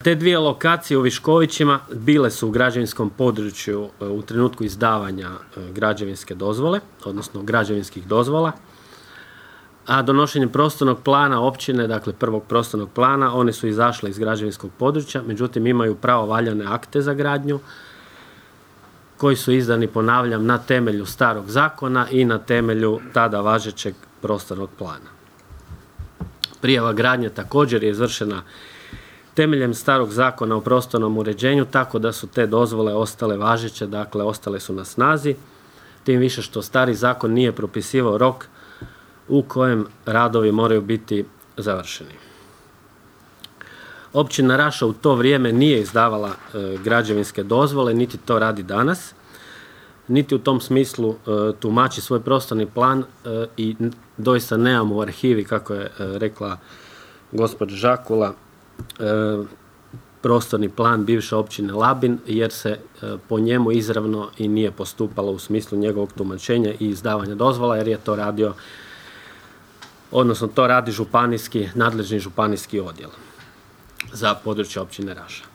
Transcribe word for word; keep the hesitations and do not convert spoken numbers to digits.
Te dvije lokacije u Viškovićima bile su u građevinskom području u trenutku izdavanja građevinske dozvole, odnosno građevinskih dozvola, a donošenjem prostornog plana općine, dakle prvog prostornog plana, one su izašle iz građevinskog područja, međutim imaju pravovaljane akte za gradnju koji su izdani, ponavljam, na temelju starog zakona i na temelju tada važećeg prostornog plana. Prijava gradnje također je izvršena temeljem starog zakona o prostornom uređenju, tako da su te dozvole ostale važeće, dakle ostale su na snazi, tim više što stari zakon nije propisivao rok u kojem radovi moraju biti završeni. Općina Raša u to vrijeme nije izdavala e, građevinske dozvole, niti to radi danas, niti u tom smislu e, tumači svoj prostorni plan e, i doista nemamo u arhivi, kako je e, rekla gospođa Žakula, e, prostorni plan bivše općine Labin, jer se e, po njemu izravno i nije postupalo u smislu njegovog tumačenja i izdavanja dozvola, jer je to radio, odnosno to radi županijski, nadležni županijski odjel za područje općine Raša.